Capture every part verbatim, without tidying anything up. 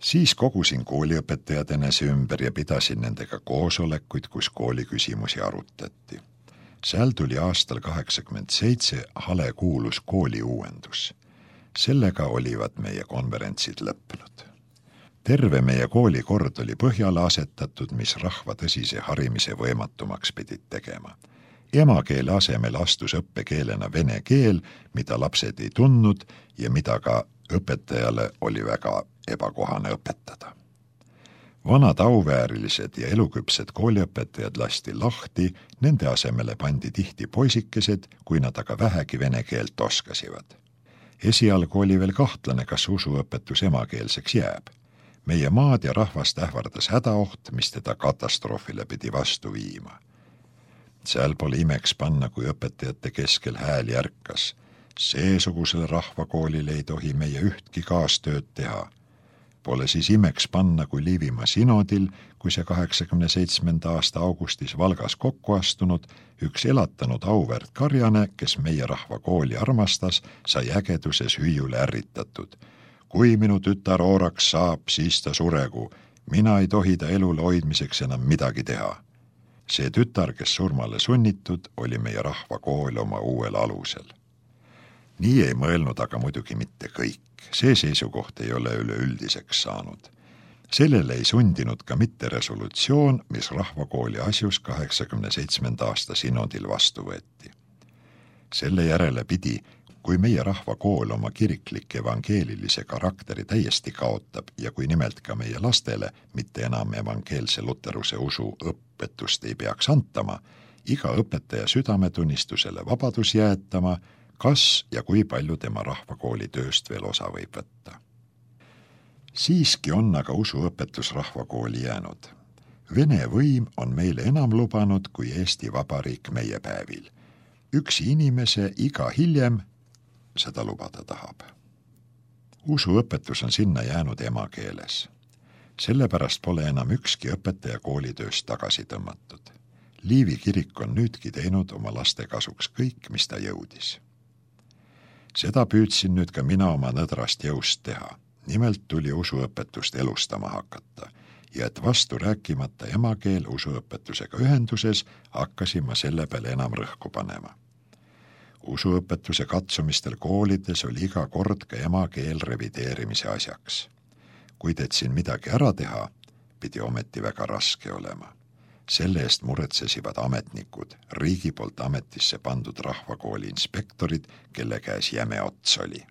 Siis kogusin kooliõpetajad enese ümber ja pidasin nendega koosolekuid, kus kooli küsimusi arutati. Seal tuli aastal kaheksakümmend seitse hale kuulus kooli uuendus. Sellega olivad meie konverentsid lõppenud. Terve meie kooli kord oli põhjale asetatud, mis rahva tõsise harimise võimatumaks pidid tegema. Emakeele asemel astus õppekeelena vene keel, mida lapsed ei tundnud ja mida ka õpetajale oli väga ebakohane õpetada. Vanad auväärilised ja eluküpsed kooliõpetajad lasti lahti, nende asemele pandi tihti poisikesed, kui nad aga vähegi vene keelt oskasivad. Esialgu oli veel kahtlane, kas usuõpetus emakeelseks jääb. Meie maad ja rahvast ähvardas hädaoht, mis teda katastroofile pidi vastu viima. Seal pole imeks panna, kui õpetajate keskel hääl järkas. Seesugusele rahvakoolile ei tohi meie ühtki kaastööd teha. Pole siis imeks panna, kui Liivimaa sinodil, kui see kaheksakümne seitsmenda aasta augustis Valgas kokku astunud, üks elatanud auväärt karjane, kes meie rahvakooli armastas, sai ägeduses hüüjule ärritatud. Kui minu tütar ooraks saab, siis ta suregu. Mina ei tohi ta elule hoidmiseks enam midagi teha. See tütar, kes surmale sunnitud, oli meie rahvakool oma uuel alusel. Nii ei mõelnud aga muidugi mitte kõik. See seisukoht ei ole üleüldiseks saanud. Sellele ei sundinud ka mitte resolutsioon, mis rahvakooli asjus kaheksakümne seitsmenda aasta sinodil vastu võeti. Selle järele pidi, kui meie rahvakool oma kiriklik evangeelilise karakteri täiesti kaotab ja kui nimelt ka meie lastele mitte enam evangeelse luteruse usu õpetust ei peaks antama, iga õpetaja südametunnistusele vabadus jäetama, kas ja kui palju tema rahvakooli tööst veel osa võib võtta. Siiski on aga usuõpetus rahvakooli jäänud. Vene võim on meile enam lubanud kui Eesti Vabariik meie päevil. Üksi inimese iga hiljem seda lubada tahab. Usuõpetus on sinna jäänud emakeeles. Sellepärast pole enam ükski õpetaja koolitööst tagasi tõmmatud. Liivi kirik on nüüdki teinud oma laste kasuks kõik, mis ta jõudis. Seda püüdsin nüüd ka mina oma nõdrast jõust teha. Nimelt tuli usuõpetust elustama hakata ja et vastu rääkimata emakeel usuõpetusega ühenduses hakkasin ma selle peale enam rõhku panema. Usuõpetuse katsumistel koolides oli iga kord ka emakeel revideerimise asjaks. Kui teedsin midagi ära teha, pidi ometi väga raske olema. Selle eest muretsesivad ametnikud, riigi poolt ametisse pandud rahvakooli inspektorid, kelle käes jäme ots oli.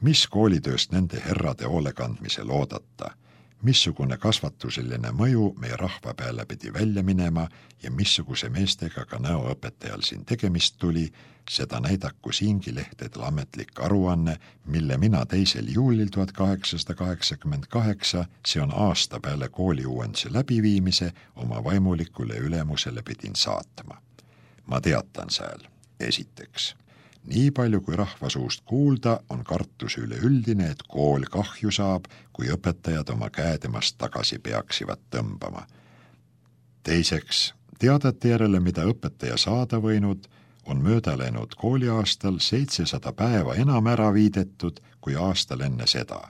Mis koolitööst nende herrade hoolekandmisel oodata, missugune kasvatuseline mõju meie rahva peale pidi välja minema ja missuguse meestega ka näoõpetajal siin tegemist tuli, seda näidaku siingi lehtedel ametlik aruanne, mille mina teisel juulil tuhat kaheksasada kaheksakümmend kaheksa, see on aasta peale kooli uuenduse läbiviimise, oma vaimulikule ülemusele pidin saatma. Ma teatan seal, esiteks. Nii palju kui rahva suust kuulda, on kartus üleüldine, et kool kahju saab, kui õpetajad oma käedemast tagasi peaksivad tõmbama. Teiseks, teadete järele, mida õpetaja saada võinud, on mööda läinud kooliaastal seitsesada päeva enam ära viidetud kui aastal enne seda.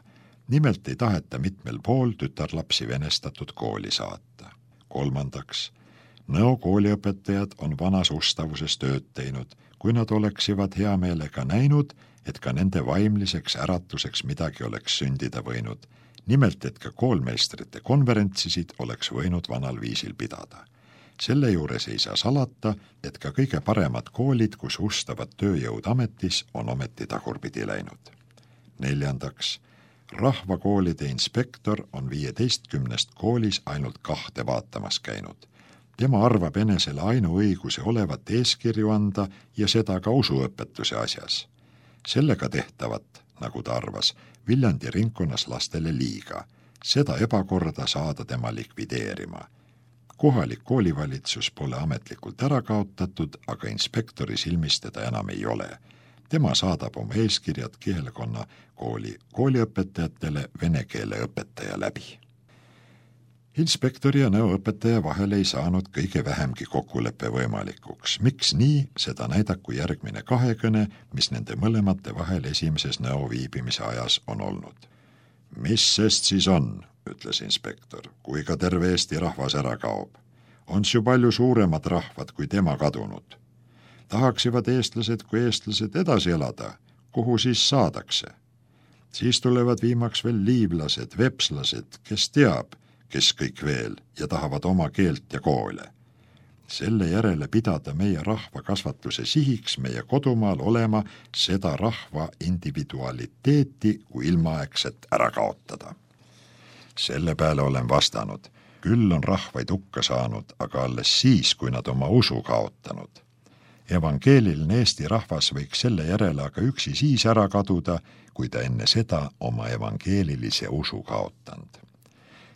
Nimelt ei taheta mitmel pool tütarlapsi venestatud kooli saata. Kolmandaks, Nõo kooliõpetajad on vanas ustavuses tööd teinud, kui nad oleksivad hea meelega näinud, et ka nende vaimliseks äratuseks midagi oleks sündida võinud. Nimelt, et ka koolmeistrite konverentsisid oleks võinud vanal viisil pidada. Selle juures ei saa salata, et ka kõige paremad koolid, kus ustavad tööjõud ametis, on ometi tagurpidi läinud. Neljandaks, rahvakoolide inspektor on viieteistkümnest koolis ainult kahte vaatamas käinud. Tema arvab enesele ainuõiguse olevat eeskirju anda ja seda ka usuõpetuse asjas. Sellega tehtavat, nagu ta arvas, Viljandi ringkonnas lastele liiga. Seda ebakorda saada tema likvideerima. Kohalik koolivalitsus pole ametlikult ära kaotatud, aga inspektori silmis teda enam ei ole. Tema saadab oma eeskirjad kihelkonna kooli kooliõpetajatele vene keele õpetaja läbi. Inspektori ja nõuõpetaja vahel ei saanud kõige vähemgi kokkuleppe võimalikuks. Miks nii, seda näidaku järgmine kahekõne, mis nende mõlemate vahel esimeses nõu viibimise ajas on olnud. Mis sest siis on, ütles inspektor, kui ka terve Eesti rahvas ära kaob. On ju palju suuremad rahvad kui tema kadunud. Tahaksivad eestlased kui eestlased edasi elada, kuhu siis saadakse. Siis tulevad viimaks veel liivlased, vepslased, kes teab, kes kõik veel ja tahavad oma keelt ja koole. Selle järele pidada meie rahva kasvatuse sihiks meie kodumaal olema seda rahva individualiteeti kui ilmaaegset ära kaotada. Selle peale olen vastanud, küll on rahvaid hukka saanud, aga alles siis, kui nad oma usu kaotanud. Evangeeliline Eesti rahvas võiks selle järele aga üksi siis ära kaduda, kui ta enne seda oma evangeelilise usu kaotanud.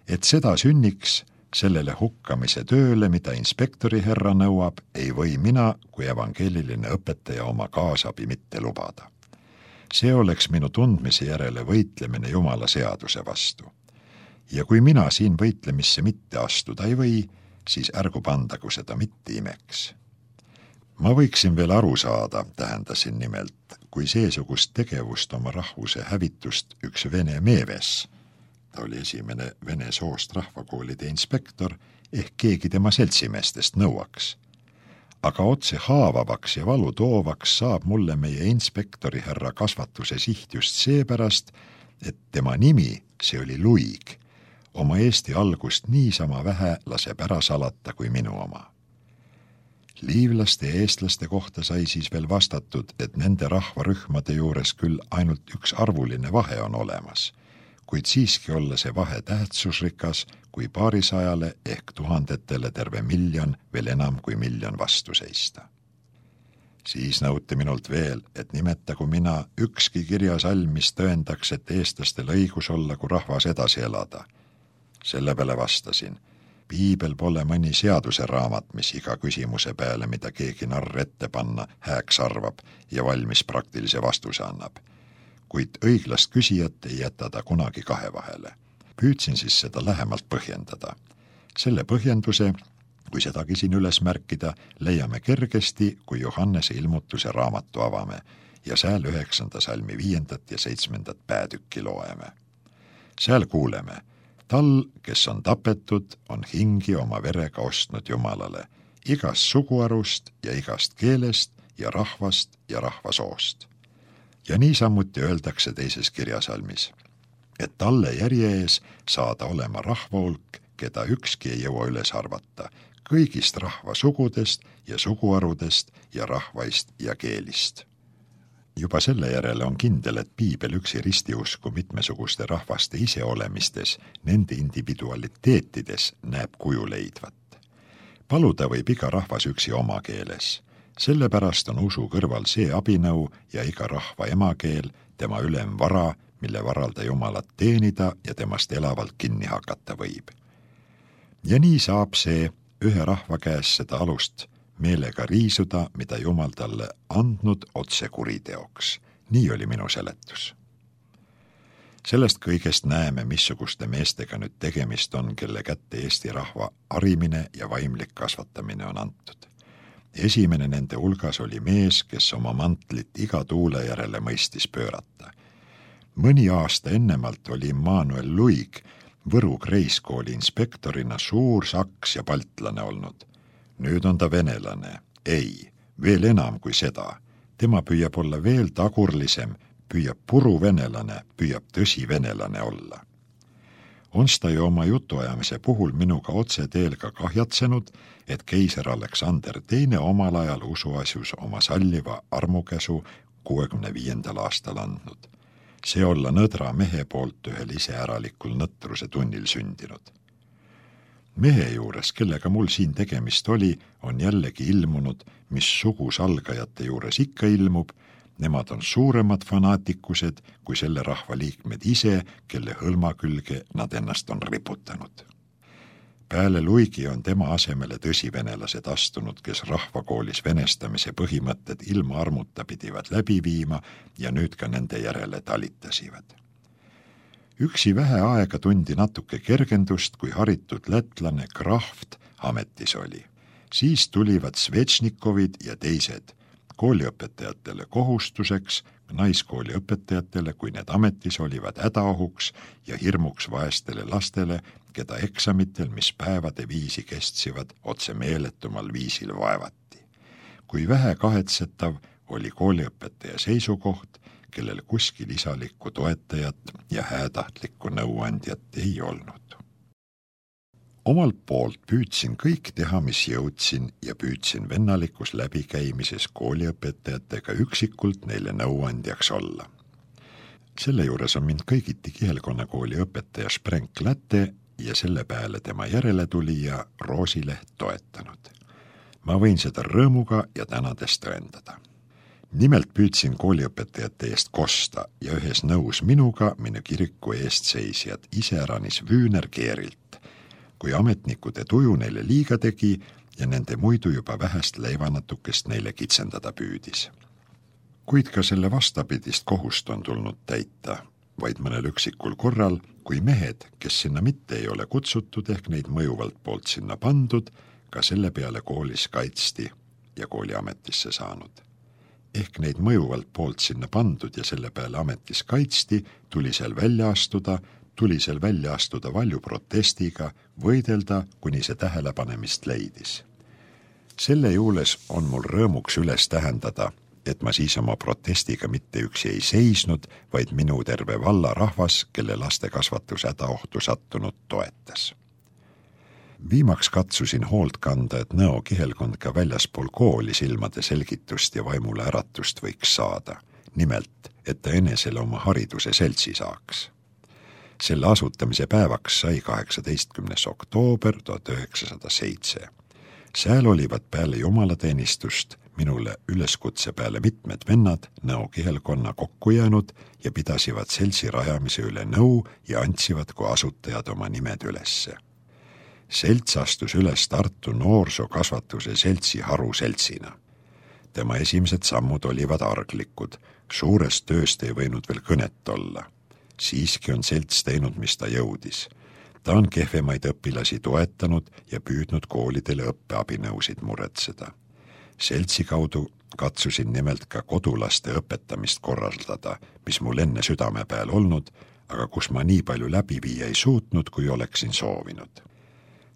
Et seda sünniks, sellele hukkamise tööle, mida inspektori herra nõuab, ei või mina kui evangeeliline õpetaja oma kaasabi mitte lubada. See oleks minu tundmise järele võitlemine Jumala seaduse vastu. Ja kui mina siin võitlemisse mitte astuda ei või, siis ärgu pandagu seda mitte imeks. Ma võiksin veel aru saada, tähendasin nimelt, kui seesugust tegevust oma rahvuse hävitust üks vene meeves, ta oli esimene vene soost rahvakoolide inspektor, ehk keegi tema seltsimeestest nõuaks. Aga otse haavavaks ja valu toovaks saab mulle meie inspektori härra kasvatuse siht just seepärast, et tema nimi, see oli Luig, oma Eesti algust niisama vähe laseb ära salata kui minu oma. Liivlaste ja eestlaste kohta sai siis veel vastatud, et nende rahvarühmade juures küll ainult üks arvuline vahe on olemas, kuid siiski olla see vahe tähtsusrikas, kui paarisajale ehk tuhandetele terve miljon veel enam kui miljon vastu seista. Siis nõuti minult veel, et nimetagu mina ükski kirjasalm, mis tõendaks, et eestlastel õigus olla kui rahvas edasi elada. Selle peale vastasin, piibel pole mõni seaduse raamat, mis iga küsimuse peale, mida keegi narr ette panna, hääks arvab ja valmis praktilise vastuse annab. Kuid õiglast küsijat ei jäta ta kunagi kahe vahele. Püüdsin siis seda lähemalt põhjendada. Selle põhjenduse, kui sedagi siin üles märkida, leiame kergesti, kui Johannese ilmutuse raamatu avame ja sääl üheksanda salmi viiendat ja seitsmendat päätükki loeme. Sääl kuuleme, tal, kes on tapetud, on hingi oma verega ostnud Jumalale, igast suguarust ja igast keelest ja rahvast ja rahvasoost. Ja niisamuti öeldakse teises kirjasalmis, et talle järje ees saada olema rahvahulk, keda ükski ei jõua üles arvata, kõigist rahvasugudest ja suguarudest ja rahvaist ja keelist. Juba selle järele on kindel, et piibel üksi ristiusku mitmesuguste rahvaste iseolemistes, nende individualiteetides näeb kuju leidvat. Paluda võib iga rahvas üksi oma keeles. Sellepärast on usu kõrval see abinõu ja iga rahva emakeel, tema ülem vara, mille varal ta Jumalat teenida ja temast elavalt kinni hakata võib. Ja nii saab see ühe rahva käes seda alust meelega riisuda, mida Jumal talle andnud otse kuriteoks. Nii oli minu seletus. Sellest kõigest näeme, missuguste meestega nüüd tegemist on, kelle kätte Eesti rahva harimine ja vaimlik kasvatamine on antud. Esimene nende hulgas oli mees, kes oma mantlit iga tuule järele mõistis pöörata. Mõni aasta ennemalt oli Immanuel Luig Võru Kreiskooli inspektorina suur saks ja baltlane olnud. Nüüd on ta venelane. Ei, veel enam kui seda. Tema püüab olla veel tagurlisem, püüab puru venelane, püüab tõsi venelane olla. On ta ju oma jutuajamise puhul minuga otse teel ka kahjatsenud, et keiser Aleksander teine omal ajal usuasjus oma salliva armukäsu kuuekümne viiendal aastal andnud. See olla nõdra mehe poolt ühel iseäralikul nõtruse tunnil sündinud. Mehe juures, kellega mul siin tegemist oli, on jällegi ilmunud, mis sugusalgajate juures ikka ilmub, nemad on suuremad fanaatikused kui selle rahva liikmed ise, kelle hõlma külge nad ennast on riputanud. Peale Luigi on tema asemele tõsivenelased astunud, kes rahvakoolis venestamise põhimõtted ilma armuta pidivad läbi viima ja nüüd ka nende järele talitasivad. Üksi vähe aega tundi natuke kergendust, kui haritud lätlane Kraft ametis oli. Siis tulivad Svečnikovid ja teised, kooliõpetajatele kohustuseks, naiskooli õpetajatele, kui need ametis olivad hädaohuks ja hirmuks vaestele lastele, keda eksamitel, mis päevade viisi kestivad, otse meeletumal viisil vaevati. Kui vähe kahetsetav oli kooliõpetaja seisukoht, kellel kuskil isalikku toetajat ja häätahtlikku nõuandjat ei olnud. Omalt poolt püüdsin kõik teha, mis jõudsin ja püüdsin vennalikus läbikäimises kooliõpetajatega üksikult neile nõuandjaks olla. Selle juures on mind kõigiti kihelkonnakooli õpetaja Sprenk Läte ja selle peale tema järeletulija Roosileht toetanud. Ma võin seda rõõmuga ja tänades tõendada. Nimelt püüdsin kooliõpetajate eest kosta ja ühes nõus minuga minu kiriku eest seisjad iseäranis Vüüner Keerilt, kui ametnikude tuju neile liiga tegi ja nende muidu juba vähest leivanatukest neile kitsendada püüdis. Kuid ka selle vastapidist kohust on tulnud täita, vaid mõnel üksikul korral, kui mehed, kes sinna mitte ei ole kutsutud ehk neid mõjuvalt poolt sinna pandud, ka selle peale koolis kaitsti ja kooliametisse saanud. Ehk neid mõjuvalt poolt sinna pandud ja selle peale ametis kaitsti, tuli seal välja astuda, tuli seal välja astuda valju protestiga, võidelda, kuni see tähelepanemist leidis. Selle juules on mul rõõmuks üles tähendada, et ma siis oma protestiga mitte üksi ei seisnud, vaid minu terve valla rahvas, kelle laste kasvatus hädaohtu sattunud toetas. Viimaks katsusin hoolt kanda, et Nõo kihelkond ka väljaspool kooli silmade selgitust ja vaimule äratust võiks saada. Nimelt, et ta enesele oma hariduse seltsi saaks. Selle asutamise päevaks sai kaheksateistkümnes oktoober tuhat üheksasada seitse. Sääl olivad peale jumalateenistust minule üleskutse peale mitmed vennad Nõo kihelkonna kokku jäänud ja pidasivad seltsi rajamise üle nõu ja antsivad kui asutajad oma nimed ülesse. Selts astus üles Tartu noorsookasvatuse seltsi haruseltsina. Tema esimesed sammud olivad arglikud, suurest tööst ei võinud veel kõnet olla. Siiski on selts teinud, mis ta jõudis. Ta on kehvemaid õpilasi toetanud ja püüdnud koolidele õppeabinõusid muretseda. Seltsi kaudu katsusin nimelt ka kodulaste õpetamist korraldada, mis mul enne südame peal olnud, aga kus ma nii palju läbi viia ei suutnud, kui oleksin soovinud.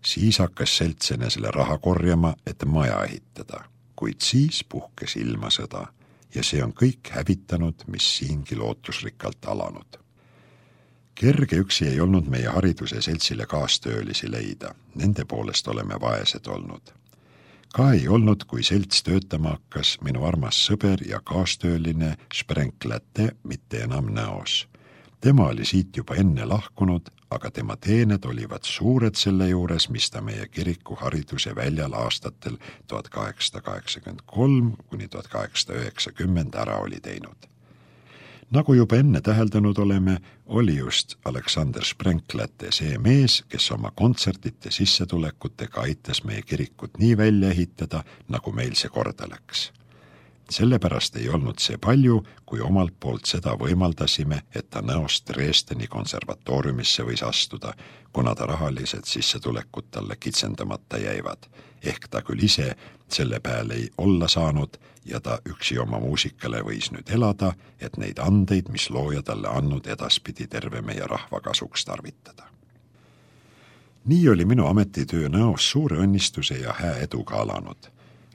Siis hakkas selts enesele raha korjama, et maja ehitada, kuid siis puhkes ilmasõda ja see on kõik hävitanud, mis siingi lootusrikkalt alanud. Kerge üksi ei olnud meie hariduse seltsile kaastöölisi leida, nende poolest oleme vaesed olnud. Ka ei olnud, kui selts töötama hakkas minu armas sõber ja kaastööline Sprenk Läte mitte enam Nõos. Tema oli siit juba enne lahkunud, aga tema teened olivad suured selle juures, mis ta meie kiriku hariduse väljal aastatel tuhat kaheksasada kaheksakümmend kolm kuni tuhat kaheksasada üheksakümmend ära oli teinud. Nagu juba enne täheldanud oleme, oli just Aleksander Sprenk Läte see mees, kes oma kontsertite sissetulekutega aitas meie kirikut nii välja ehitada, nagu meil see korda läks. Sellepärast ei olnud see palju, kui omalt poolt seda võimaldasime, et ta Nõost Dresdeni konservatooriumisse võis astuda, kuna ta rahalised sissetulekud talle kitsendamata jäivad. Ehk ta küll ise selle peale ei olla saanud ja ta üksi oma muusikale võis nüüd elada, et neid andeid, mis looja talle andnud, edaspidi terve meie rahva kasuks tarvitada. Nii oli minu ametitöö Nõos suure õnnistuse ja hää eduga alanud.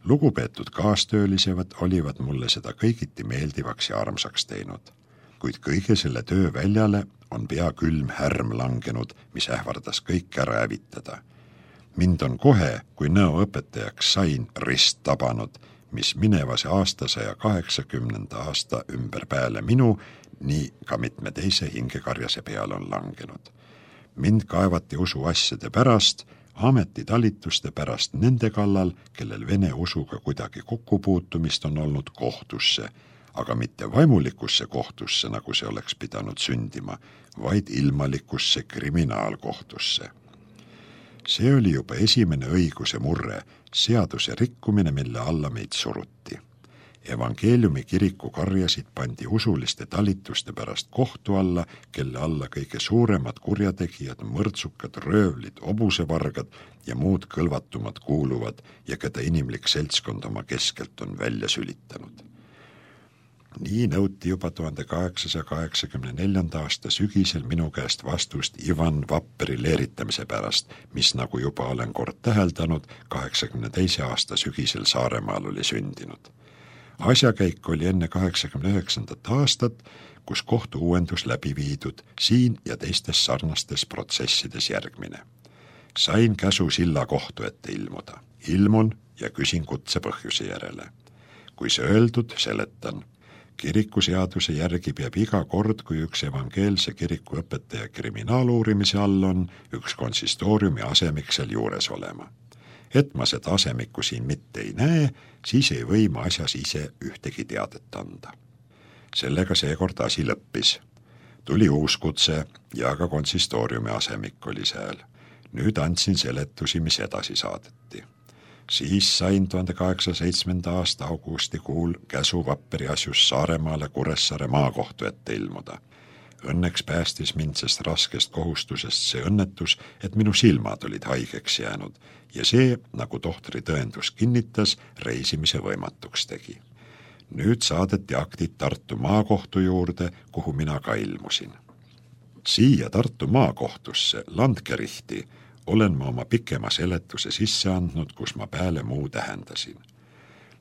Lugupeetud kaastöölisevad olivad mulle seda kõigiti meeldivaks ja armsaks teinud, kuid kõige selle töö väljale on pea külm härm langenud, mis ähvardas kõik ära hävitada. Mind on kohe, kui Nõo õpetajaks sain, rist tabanud, mis minevase aastasaja kaheksakümnenda aasta ümber peale minu, nii ka mitme teise hingekarjase peale on langenud. Mind kaevati usuasjade pärast, ametitalituste pärast nende kallal, kellel vene usuga kuidagi kokkupuutumist on olnud kohtusse, aga mitte vaimulikusse kohtusse, nagu see oleks pidanud sündima, vaid ilmalikusse kriminaalkohtusse. See oli juba esimene õiguse murre, seaduse rikkumine, mille alla meid suruti. Evangeeliumi kiriku karjasid pandi usuliste talituste pärast kohtu alla, kelle alla kõige suuremad kurjategijad, mõrtsukad, röövlid, obusevargad ja muud kõlvatumad kuuluvad ja keda inimlik seltskond oma keskelt on välja sülitanud. Nii nõuti juba tuhande kaheksasaja kaheksakümne neljanda aasta sügisel minu käest vastust Ivan Vapperi leeritamise pärast, mis, nagu juba olen kord täheldanud, kaheksakümne teise aasta sügisel Saaremaal oli sündinud. Asjakäik oli enne kaheksakümne üheksandat aastat, kus kohtu uuendus läbi viidud siin ja teistes sarnastes protsessides järgmine. Sain käsu Silla kohtu ette ilmuda. Ilmun ja küsin kutse põhjuse järele. Kui see öeldud, seletan. Kirikuseaduse järgi peab iga kord, kui üks evangeelse kiriku õpetaja kriminaaluurimise all on, üks konsistooriumi asemik seal juures olema. Et ma seda asemikku siin mitte ei näe, siis ei või ma asjas ise ühtegi teadet anda. Sellega seekord asi lõppis. Tuli uus kutse ja ka konsistooriumi asemik oli seal. Nüüd andsin seletusi, mis edasi saadeti. Siis sain tuhande kaheksasaja seitsmenda aasta augustikuul käsu Vapperi asjus Saaremaale Kuressaare maakohtu ette ilmuda. Õnneks päästis mind sest raskest kohustusest see õnnetus, et minu silmad olid haigeks jäänud ja see, nagu tohtri tõendus kinnitas, reisimise võimatuks tegi. Nüüd saadeti aktid Tartu maakohtu juurde, kuhu mina ka ilmusin. Siia Tartu maakohtusse, Landgerihti, olen ma oma pikema seletuse sisse andnud, kus ma pääle muu tähendasin.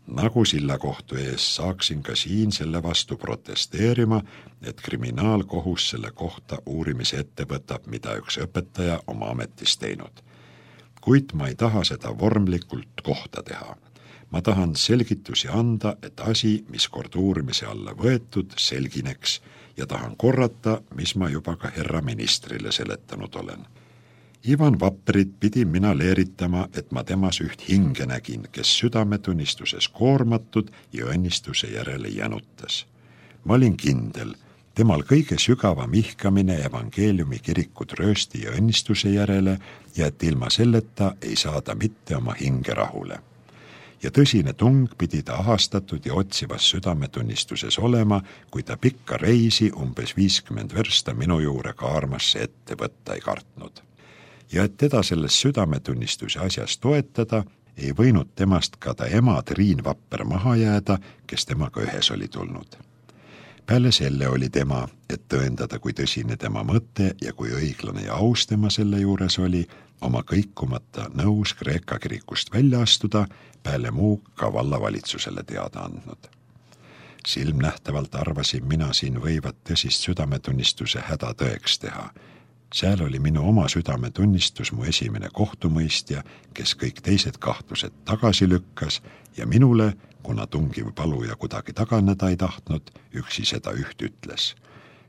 Nagu Silla kohtu ees saaksin ka siin selle vastu protesteerima, et kriminaalkohus selle kohta uurimise ette võtab, mida üks õpetaja oma ametis teinud. Kuid ma ei taha seda vormlikult kohta teha. Ma tahan selgitusi anda, et asi, mis kord uurimise alla võetud, selgineks ja tahan korrata, mis ma juba ka herra ministrile seletanud olen. Ivan Vapperit pidin mina leeritama, et ma temas üht hinge nägin, kes südametunnistuses koormatud ja õnnistuse järele jänutas. Ma olin kindel, temal kõige sügavam ihkamine evangeeliumi kirikut röösti ja õnnistuse järele ja et ilma selleta ei saada mitte oma hinge rahule. Ja tõsine tung pidi ta ahastatud ja otsivas südametunnistuses olema, kui ta pikka reisi umbes viiskümmend versta minu juure kaarmasse ette võtta ei kartnud. Ja et teda selles südametunnistuse asjas toetada, ei võinud temast ka ta ema Triin Vapper maha jääda, kes temaga ühes oli tulnud. Peale selle oli tema, et tõendada, kui tõsine tema mõte ja kui õiglane ja aus tema selle juures oli, oma kõikumata nõus Kreeka kirikust välja astuda, peale muu ka vallavalitsusele teada andnud. Silmnähtavalt arvasin mina siin võivat tõsist südametunnistuse häda tõeks teha. Seal oli minu oma südametunnistus mu esimene kohtumõistja, kes kõik teised kahtlused tagasi lükkas ja minule, kuna tungiv paluja kuidagi taganeda ei tahtnud, üksi seda üht ütles.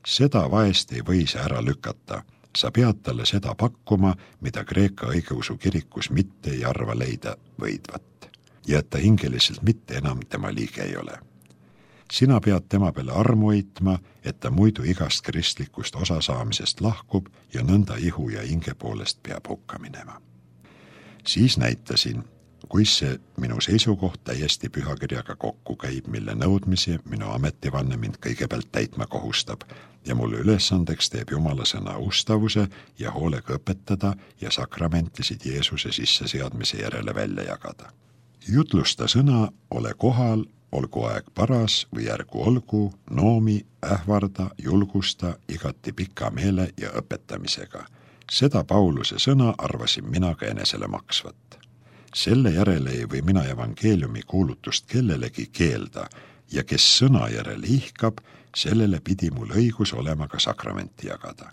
Seda vaest ei või see ära lükata. Sa pead talle seda pakkuma, mida Kreeka õigeusu kirikus mitte ei arva leida võidvat. Ja et ta hingeliselt mitte enam tema liige ei ole. Sina pead tema peale armu eitma, et ta muidu igast kristlikust osasaamisest lahkub ja nõnda ihu ja hinge poolest peab hukka minema. Siis näitasin, kuis see minu seisukoht täiesti pühakirjaga kokku käib, mille nõudmisi minu ametivanne mind kõigepealt täitma kohustab ja mulle ülesandeks teeb Jumala sõna ustavuse ja hoolega õpetada ja sakramentisid Jeesuse sisseseadmise järele välja jagada. Jutlusta sõna, ole kohal, olgu aeg paras või järgu olgu, noomi, ähvarda, julgusta, igati pika meele ja õpetamisega. Seda Pauluse sõna arvasin mina ka enesele maksvat. Selle järele ei või mina evangeeliumi kuulutust kellelegi keelda ja kes sõna järele ihkab, sellele pidi mul õigus olema ka sakramenti jagada.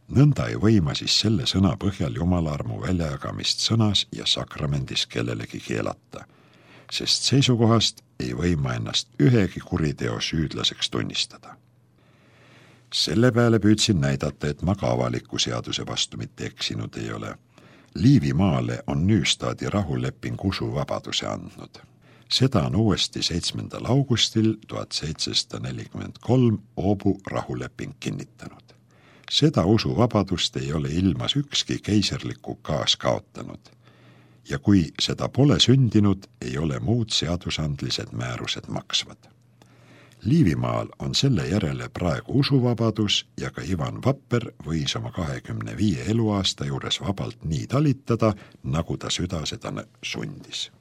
Nõnda ei või ma siis selle sõna põhjal Jumala armu väljajagamist sõnas ja sakramendis kellelegi keelata, sest seisukohast ei või ma ennast ühegi kuriteo süüdlaseks tunnistada. Selle peale püüdsin näidata, et ma ka avaliku seaduse vastu mitte eksinud ei ole. Liivimaale on Nüüstaadi rahuleping usuvabaduse andnud. Seda on uuesti seitsmendal augustil tuhat seitsesada nelikümmend kolm Oobu rahuleping kinnitanud. Seda usuvabadust ei ole ilmas ükski keiserlik ukaas kaotanud. ja kui seda pole sündinud, ei ole muud seadusandlised määrused maksvad. Liivimaal on selle järele praegu usuvabadus ja ka Ivan Vapper võis oma kahekümne viie eluaasta juures vabalt nii talitada, nagu ta süda seda sundis.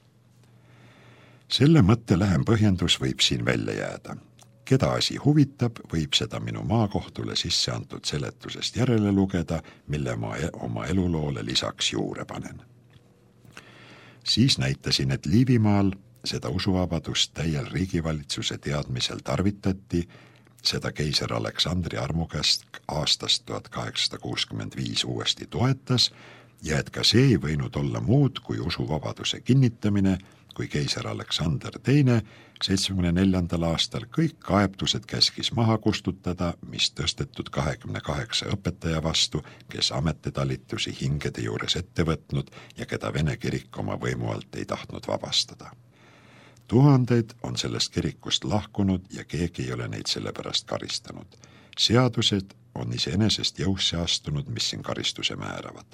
Selle mõtte lähem põhjendus võib siin välja jääda. Keda asi huvitab, võib seda minu maakohtule sisse antud seletusest järele lugeda, mille ma oma eluloole lisaks juurde panen. Siis näitasin, et Liivimaal seda usuvabadust täiel riigivalitsuse teadmisel tarvitati, seda keiser Aleksandri armukäsk aastast tuhat kaheksasada kuuskümmend viis uuesti toetas ja et ka see ei võinud olla muud kui usuvabaduse kinnitamine, kui keiser Aleksander teine seitsmekümne neljandal aastal kõik kaebtused käskis maha kustutada, mis tõstetud kahekümne kaheksa õpetaja vastu, kes ametitalitusi hingede juures ette võtnud ja keda Vene kirik oma võimu alt ei tahtnud vabastada. Tuhandeid on sellest kirikust lahkunud ja keegi ei ole neid selle pärast karistanud. Seadused on iseenesest jõusse astunud, mis siin karistuse määravad.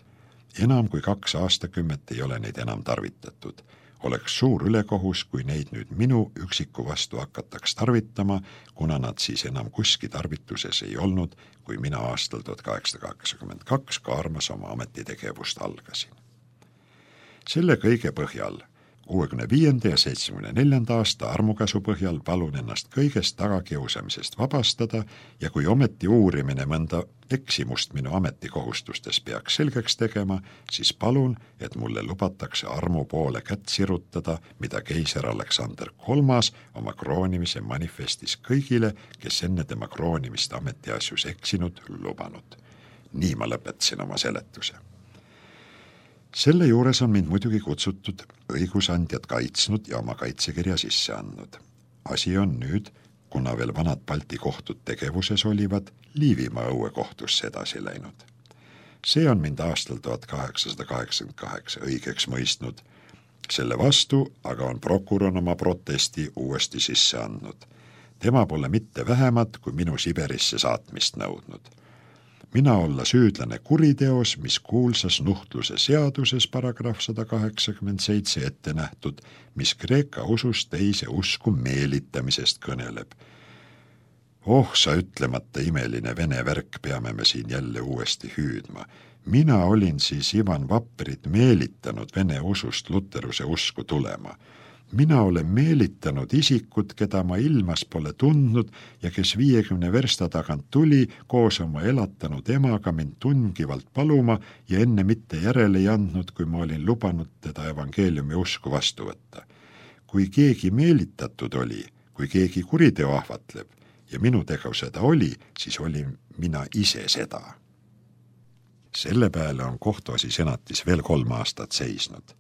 Enam kui kaks aastakümmet ei ole neid enam tarvitatud. Oleks suur ülekohus, kui neid nüüd minu üksiku vastu hakataks tarvitama, kuna nad siis enam kuski tarvituses ei olnud, kui mina aastal tuhat kaheksasada kaheksakümmend kaks Kaarmas oma ametitegevust algasin. Selle kõige põhjal kuuekümne viienda ja seitsmekümne neljanda aasta armukäsu põhjal palun ennast kõigest tagakiusamisest vabastada ja kui ometi uurimine mõnda eksimust minu ametikohustustes peaks selgeks tegema, siis palun, et mulle lubatakse armu poole kätt sirutada, mida keiser Aleksander kolmas oma kroonimise manifestis kõigile, kes enne tema kroonimist ametiasjus eksinud, lubanud. Nii ma lõpetasin oma seletuse. Selle juures on mind muidugi kutsutud õigusandjad kaitsnud ja oma kaitsekirja sisse andnud. Asi on nüüd, kuna veel vanad Balti kohtud tegevuses olivad, Liivimaa õuekohtusse edasi läinud. See on mind aastal tuhat kaheksasada kaheksakümmend kaheksa õigeks mõistnud. Selle vastu aga on prokurör oma protesti uuesti sisse andnud. Tema pole mitte vähemat kui minu Siberisse saatmist nõudnud. Mina olla süüdlane kuriteos, mis kuulsas nuhtluse seaduses paragrahv sada kaheksakümmend seitse ette nähtud, mis Kreeka usus teise usku meelitamisest kõneleb. Oh, sa ütlemata imeline vene värk peame me siin jälle uuesti hüüdma. Mina olin siis Ivan Vapperit meelitanud vene usust luteruse usku tulema. Mina olen meelitanud isikut, keda ma ilmas pole tundnud ja kes viiekümne versta tagant tuli koos oma elatanud emaga mind tungivalt paluma ja enne mitte järele ei andnud, kui ma olin lubanud teda evangeeliumi usku vastu võtta. Kui keegi meelitatud oli, kui keegi kuriteo ahvatleb ja minu tegu seda oli, siis olin mina ise seda. Selle peale on kohtuasi senatis veel kolm aastat seisnud.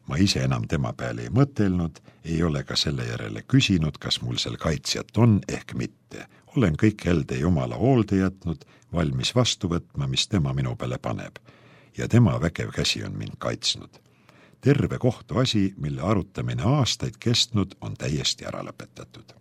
Ma ise enam tema peale ei mõtelnud, ei ole ka selle järele küsinud, kas mul seal kaitsjat on ehk mitte. Olen kõik elde Jumala hoolde jätnud, valmis vastu võtma, mis tema minu peale paneb. Ja tema vägev käsi on mind kaitsnud. Terve kohtuasi, mille arutamine aastaid kestnud, on täiesti ära lõpetatud.